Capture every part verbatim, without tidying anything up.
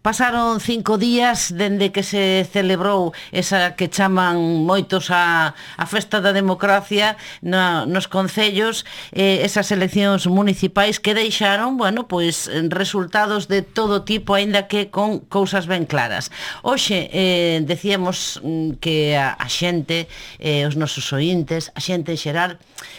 pasaron cinco días dende que se celebrou esa que chaman moitos a, a festa da democracia na, nos concellos, eh, esas eleccións municipais que deixaron, bueno, pois resultados de todo tipo, aínda que con cousas ben claras. Hoxe eh, decíamos que a, a xente, eh, os nosos oíntes, a xente en xeral,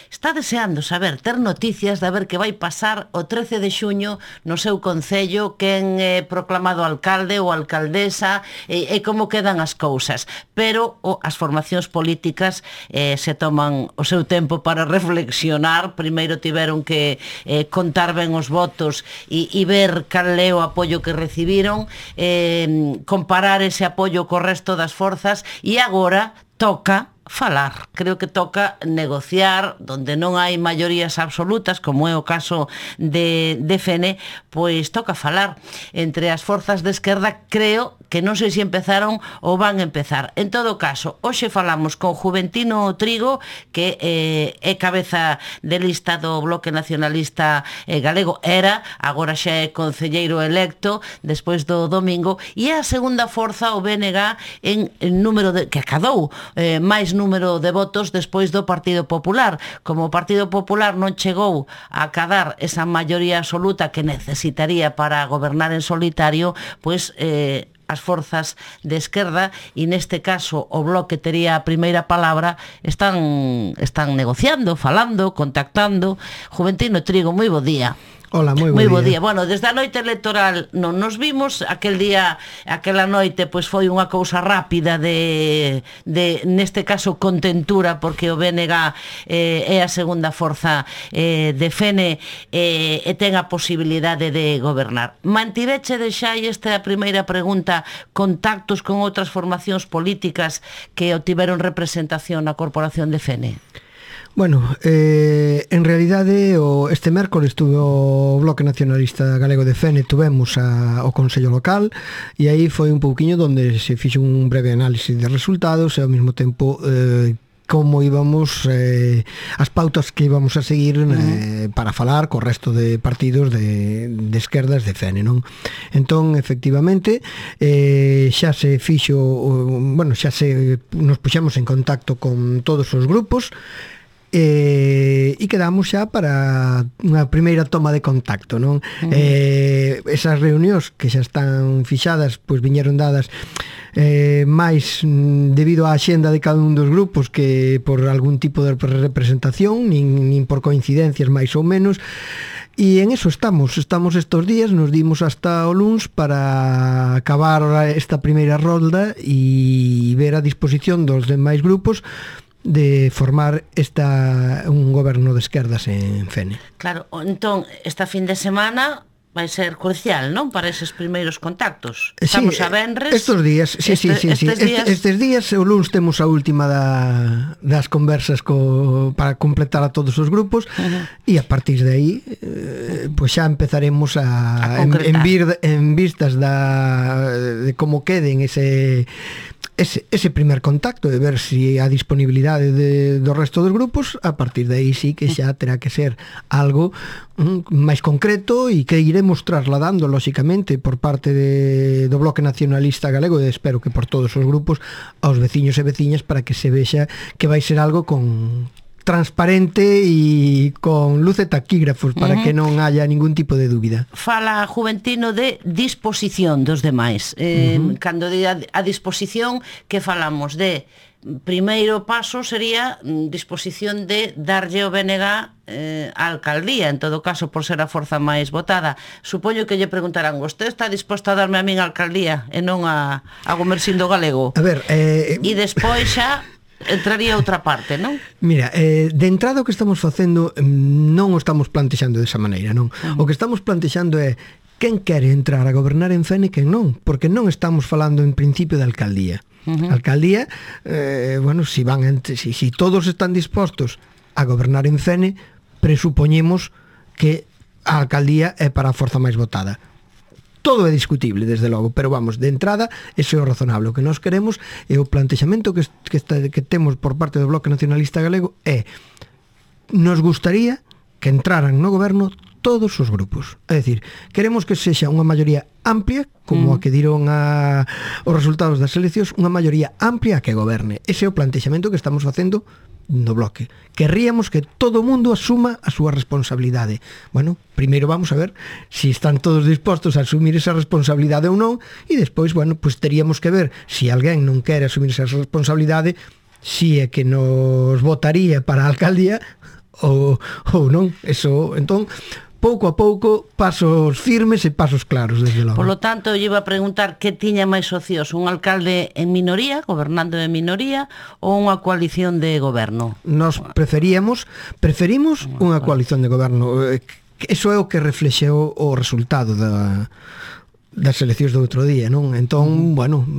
está deseando saber, ter noticias de ver que vai pasar o trece de xuño no seu concello, quen é proclamado alcalde ou alcaldesa e, e como quedan as cousas. Pero o, as formacións políticas eh, se toman o seu tempo para reflexionar. Primeiro tiveron que eh, contar ben os votos e, e ver cal é o apoio que recibiron, eh, comparar ese apoio co resto das forzas e agora toca falar, creo que toca negociar, donde non hai maiorías absolutas, como é o caso de, de F N, pois toca falar. Entre as forzas de esquerda, creo que non sei se empezaron ou van a empezar. En todo caso, hoxe falamos con Juventino Trigo, que eh, é cabeza de lista do Bloque Nacionalista eh, Galego, era, agora xa é concelleiro electo, despois do domingo, e é a segunda forza, o B N G, en, en número de, que acadou eh, máis número de votos despois do Partido Popular. Como o Partido Popular non chegou a acadar esa maioría absoluta que necesitaría para gobernar en solitario, pois eh, as forzas de esquerda, e neste caso o Bloque tería a primeira palabra, están están negociando, falando, contactando. Juventino Trigo, moi bo día. Hola, moi bo, moi bo día. día. Bueno, desde a noite electoral non nos vimos, aquel día, aquela noite, pois foi unha cousa rápida de, de neste caso, contentura, porque o B N G eh, é a segunda forza eh, de F N eh, e ten a posibilidade de gobernar. Mantiveche de xa, e esta é a primeira pregunta, contactos con outras formacións políticas que obtiveron representación na Corporación de F N? Bueno, eh, en realidade o, este mércoles tuve o Bloque Nacionalista Galego de F N, tuvemos a, o Consello Local, e aí foi un pouquiño donde se fixo un breve análisis de resultados e ao mesmo tempo eh, como íbamos, eh, as pautas que íbamos a seguir eh, para falar co resto de partidos de, de esquerdas de F N, non? Entón, efectivamente, eh, xa se fixo, bueno, xa se nos puxemos en contacto con todos os grupos, Eh, e quedamos xa para unha primeira toma de contacto, non? Uh-huh. Eh, esas reunións que xa están fixadas, pois viñeron dadas eh, máis debido á axenda de cada un dos grupos que por algún tipo de representación, nin, nin por coincidencias máis ou menos. E en eso estamos, estamos estos días, nos dimos hasta o luns para acabar esta primeira rolda e ver a disposición dos demais grupos de formar esta un goberno de esquerdas en F N. Claro, entón, esta fin de semana vai ser crucial, non? Para eses primeiros contactos. Estamos sí, a venres. Estos días, sí, este, sí, sí, estes, sí. Días... Estes, estes días, o luns temos a última da, das conversas co, para completar a todos os grupos, uh-huh. E a partir de aí eh, pois xa empezaremos a, a en, en, vir, en vistas da, de como queden ese Ese, ese primer contacto, de ver si a disponibilidade de, do resto dos grupos, a partir de aí sí que xa terá que ser algo mm, máis concreto e que iremos trasladando, lóxicamente, por parte de, do Bloque Nacionalista Galego, e espero que por todos os grupos, aos veciños e veciñas, para que se vexa que vai ser algo con transparente e con luz e taquígrafos para uh-huh. que non haya ningún tipo de dúbida. Fala Juventino de disposición dos demais. Eh, uh-huh. Cando de a, a disposición, que falamos de primeiro paso sería disposición de darlle o B N G eh, á alcaldía, en todo caso por ser a forza máis votada. Supoño que lle preguntarán, vostede está disposto a darme a min a alcaldía e non a, a Gomersindo Galego? A ver, eh... e despois xa entraría outra parte, non? Mira, eh, de entrada o que estamos facendo non o estamos plantexando desa maneira, non? Uh-huh. O que estamos plantexando é quen quere entrar a gobernar en F N e quen non, porque non estamos falando en principio de alcaldía. Uh-huh. Alcaldía, eh, bueno, si van entre, si, si todos están dispostos a gobernar en F N, presupoñemos que a alcaldía é para a forza máis votada. Todo é discutible, desde logo, pero vamos, de entrada, ese é o razonable. O que nós queremos e o plantexamento que, que, está, que temos por parte do Bloque Nacionalista Galego é, nos gustaría que entraran no goberno todos os grupos. É dicir, queremos que sexa unha maioría amplia, como mm. a que diron a, os resultados das eleccións, unha maioría amplia que goberne. Ese é o plantexamento que estamos facendo no bloque. Querríamos que todo o mundo asuma a súa responsabilidade. Bueno, primeiro vamos a ver se si están todos dispostos a asumir esa responsabilidade ou non, e despois, bueno, pues teríamos que ver se si alguén non quere asumir esa responsabilidade, si é que nos votaría para a alcaldía ou, ou non. Eso, entón, pouco a pouco, pasos firmes e pasos claros, desde logo. Por lo tanto, eu iba a preguntar que tiña máis socios, un alcalde en minoría, gobernando en minoría, ou unha coalición de goberno? Nos preferíamos, preferimos unha coalición de goberno. Eso é o que reflexeu o resultado da, das eleccións do outro día, non? Entón, bueno,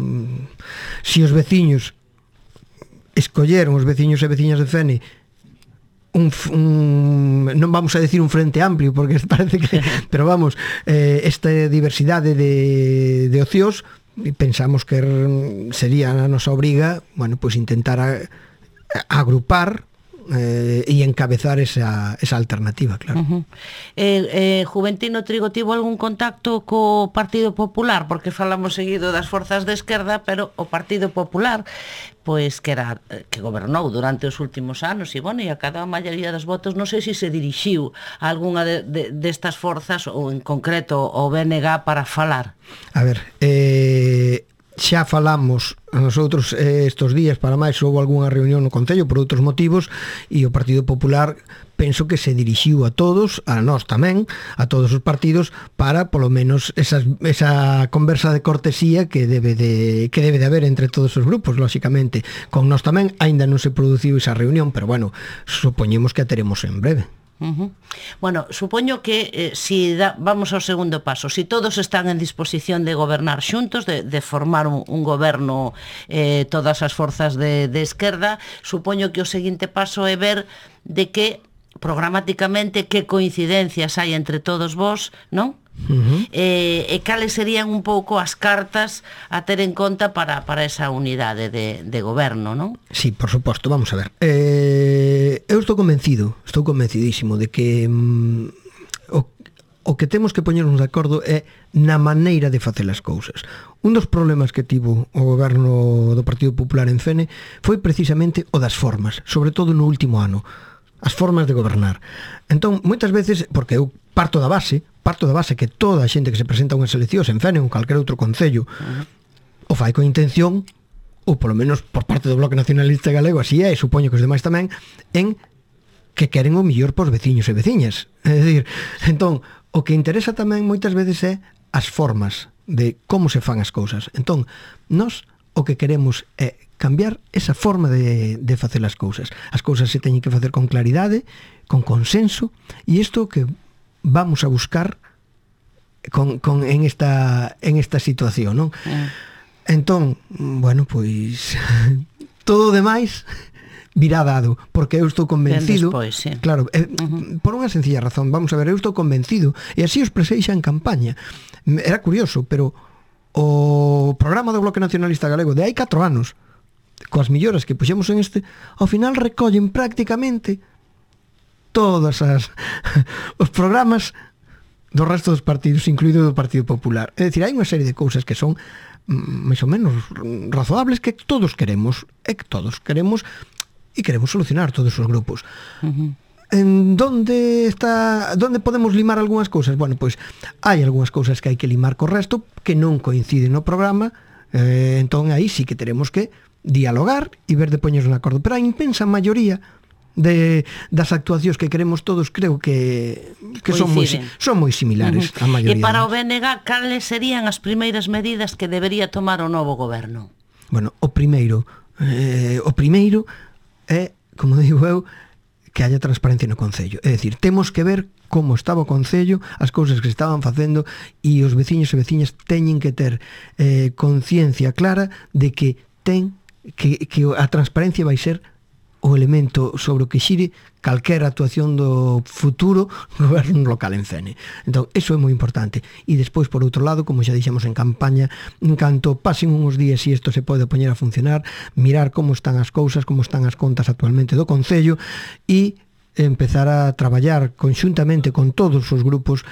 se os veciños escolleron, os veciños e veciñas de Fene, Un, un, non vamos a decir un frente amplio porque parece que, pero vamos, eh, esta diversidade de, de ocios, pensamos que sería a nosa obriga, bueno, pues intentar a, a agrupar eh, e encabezar esa, esa alternativa, claro. Uh-huh. eh, eh, Juventino Trigo tivo algún contacto co Partido Popular, porque falamos seguido das forzas de esquerda, pero o Partido Popular, pois que era que gobernou durante os últimos anos e, bueno, e a cada maioría dos votos, non sei se se dirixiu a algunha de, de, destas forzas ou en concreto o B N G para falar. A ver, eh, xa falamos nosotros eh, estos días, para máis houve algunha reunión no Concello por outros motivos, e o Partido Popular penso que se dirixiu a todos, a nós tamén, a todos os partidos, para polo menos esas, esa conversa de cortesía que debe de que debe de haber entre todos os grupos, lóxicamente. Con nós tamén aínda non se produciu esa reunión, pero bueno, supoñemos que a teremos en breve. Uh-huh. Bueno, supoño que eh, si da, vamos ao segundo paso, si todos están en disposición de gobernar xuntos, de, de formar un, un goberno, eh, todas as forzas de, de esquerda, supoño que o seguinte paso é ver de que programáticamente que coincidencias hai entre todos vos, non? Uh-huh. eh, e cales serían un pouco as cartas a ter en conta para, para esa unidade de, de goberno, non? Sí, por suposto, vamos a ver, eh, eu estou convencido, estou convencidísimo de que mm, o, o que temos que poñernos de acordo é na maneira de facer as cousas. Un dos problemas que tivo o goberno do Partido Popular en Fene foi precisamente o das formas, sobre todo no último ano, as formas de gobernar. Entón, moitas veces, porque eu parto da base, parto da base que toda a xente que se presenta a unhas eleccións en Fene ou en calquer outro concello uh-huh. o fai con intención, ou polo menos por parte do Bloque Nacionalista Galego, así é, e supoño que os demais tamén, en que queren o millor pos veciños e veciñas. É dicir, entón, o que interesa tamén moitas veces é as formas de como se fan as cousas. Entón, nós o que queremos é cambiar esa forma de, de facer as cousas. As cousas se teñen que facer con claridade, con consenso, e isto que vamos a buscar con, con, en, esta, en esta situación, non? Mm. Entón, bueno, pois todo o demais virá dado, porque eu estou convencido despois, sí. Claro, eh, uh-huh. por unha sencilla razón, vamos a ver, eu estou convencido, e así os presei xa en campaña. Era curioso, pero o programa do Bloque Nacionalista Galego de hai catro anos, coas melloras que puxemos en este, ao final recollen prácticamente todas as os programas do resto dos partidos, incluído do Partido Popular. É dicir, hai unha serie de cousas que son máis ou menos razoables que todos queremos, e que todos queremos e queremos solucionar todos os grupos. Uh-huh. En donde está, donde podemos limar algunhas cousas? Bueno, pois hai algunhas cousas que hai que limar co resto que non coinciden no programa, eh, entón aí sí que teremos que dialogar e ver de poñernos de acordo, pero a inmensa maioría de das actuacións que queremos todos creo que que son moi son moi similares uh-huh. a maioría. E para o B N G, cales serían as primeiras medidas que debería tomar o novo goberno? Bueno, o primeiro eh, o primeiro é, como digo eu, que haya transparencia no Concello. É dicir, temos que ver como estaba o Concello, as cousas que se estaban facendo, e os veciños e veciñas teñen que ter eh, conciencia clara de que ten que, que a transparencia vai ser o elemento sobre o que xire calquera actuación do futuro goberno local en Fene. Entón, eso é moi importante. E despois, por outro lado, como xa dixemos en campaña, en canto pasen uns días e isto se pode poñer a funcionar, mirar como están as cousas, como están as contas actualmente do Concello e empezar a traballar conxuntamente con todos os grupos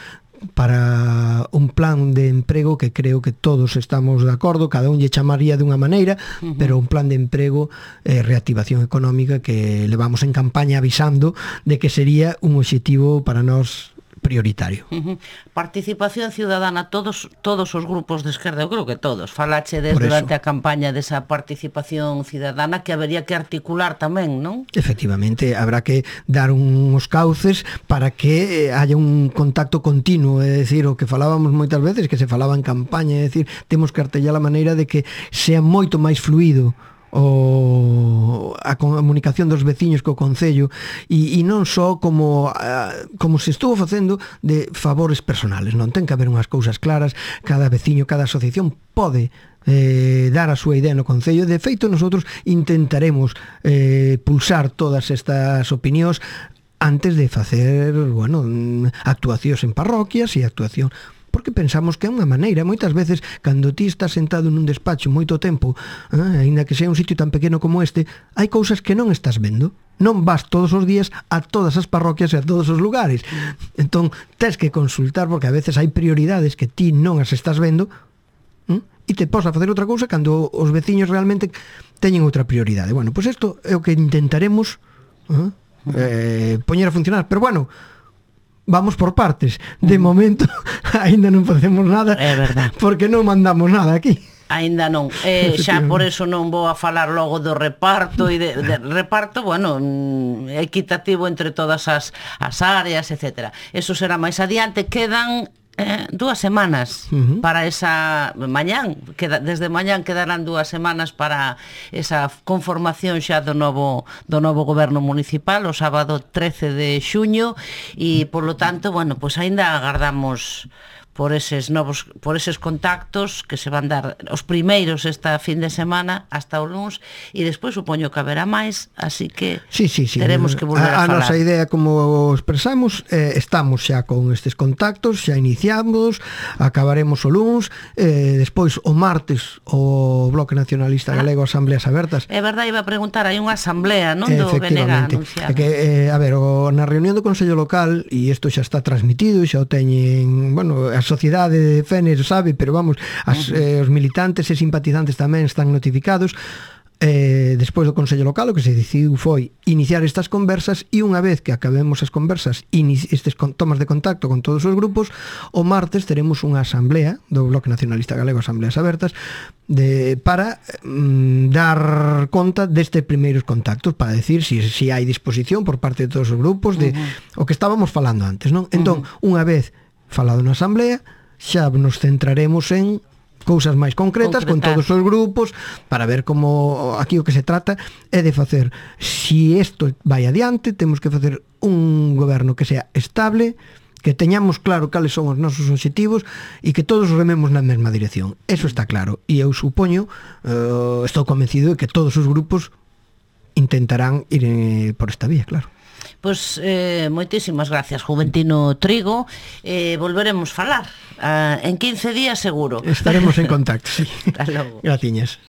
para un plan de emprego que creo que todos estamos de acordo, cada un lle chamaría de unha maneira, uh-huh. pero un plan de emprego e eh, reactivación económica que levamos en campaña avisando de que sería un obxectivo para nós prioritario. Uh-huh. Participación ciudadana, todos todos os grupos de esquerda, eu creo que todos, falache des durante a campaña desa participación ciudadana que habería que articular tamén, non? Efectivamente, habrá que dar uns cauces para que haya un contacto continuo, é dicir, o que falábamos moitas veces, que se falaba en campaña, é dicir, temos que artellar a maneira de que sea moito máis fluido o a comunicación dos veciños co Concello e, e non só como a, como se estuvo facendo de favores personales, non ten que haber unhas cousas claras, cada veciño, cada asociación pode eh, dar a súa idea no Concello. De feito, nosotros intentaremos eh, pulsar todas estas opinións antes de facer, bueno, actuacións en parroquias e actuación, porque pensamos que é unha maneira, moitas veces cando ti estás sentado nun despacho moito tempo, eh, ainda que sea un sitio tan pequeno como este, hai cousas que non estás vendo, non vas todos os días a todas as parroquias e a todos os lugares, entón tens que consultar, porque a veces hai prioridades que ti non as estás vendo, eh, e te pos a facer outra cousa cando os veciños realmente teñen outra prioridade. Bueno, pois isto é o que intentaremos eh, eh, poñer a funcionar, pero bueno, vamos por partes. De momento aínda non facemos nada. É verdad. Porque non mandamos nada aquí. Aínda non. Eh, xa por eso non vou a falar logo do reparto e de, de reparto, bueno, equitativo entre todas as, as áreas, etcétera. Eso será máis adiante. Quedan Eh, dúas semanas uh-huh. para esa mañán, queda, desde mañán quedarán dúas semanas para esa conformación xa do novo do novo goberno municipal, o sábado trece de xuño, e polo tanto, bueno, pois pues aínda agardamos por eses novos, por eses contactos que se van dar os primeiros esta fin de semana hasta o luns, e despois supoño que haberá máis, así que sí, sí, sí. teremos que volver a, a falar. A nosa idea, como expresamos, eh, estamos xa con estes contactos, xa iniciamos, acabaremos o luns, eh, despois o martes o Bloque Nacionalista Galego, Asambleas Abertas. É verdade, iba a preguntar, hai unha asamblea, non, do B N G anunciada. É que, eh, a ver, o, na reunión do Consello Local, e isto xa está transmitido, xa o teñen, bueno, a sociedade de Fénix sabe, pero vamos, as, eh, os militantes e simpatizantes tamén están notificados. Eh, despois do Consello Local o que se decidiu foi iniciar estas conversas, e unha vez que acabemos as conversas, estes tomas de contacto con todos os grupos, o martes teremos unha asamblea do Bloque Nacionalista Galego, Asambleas Abertas, de, para mm, dar conta destes primeiros contactos, para decir si, si hai disposición por parte de todos os grupos de uh-huh. o que estábamos falando antes, non? Entón, uh-huh. unha vez falado na asamblea, xa nos centraremos en cousas máis concretas Concretar. con todos os grupos, para ver como aquí o que se trata é de facer, si isto vai adiante, temos que facer un goberno que sea estable, que teñamos claro cales son os nosos obxectivos e que todos rememos na mesma dirección. Eso está claro, e eu supoño, uh, estou convencido de que todos os grupos intentarán ir eh, por esta vía, claro. Pois eh, moitísimas gracias, Juventino Trigo. eh, Volveremos falar uh, en quince días seguro. Estaremos en contacto, sí. Hasta logo. Graciñas.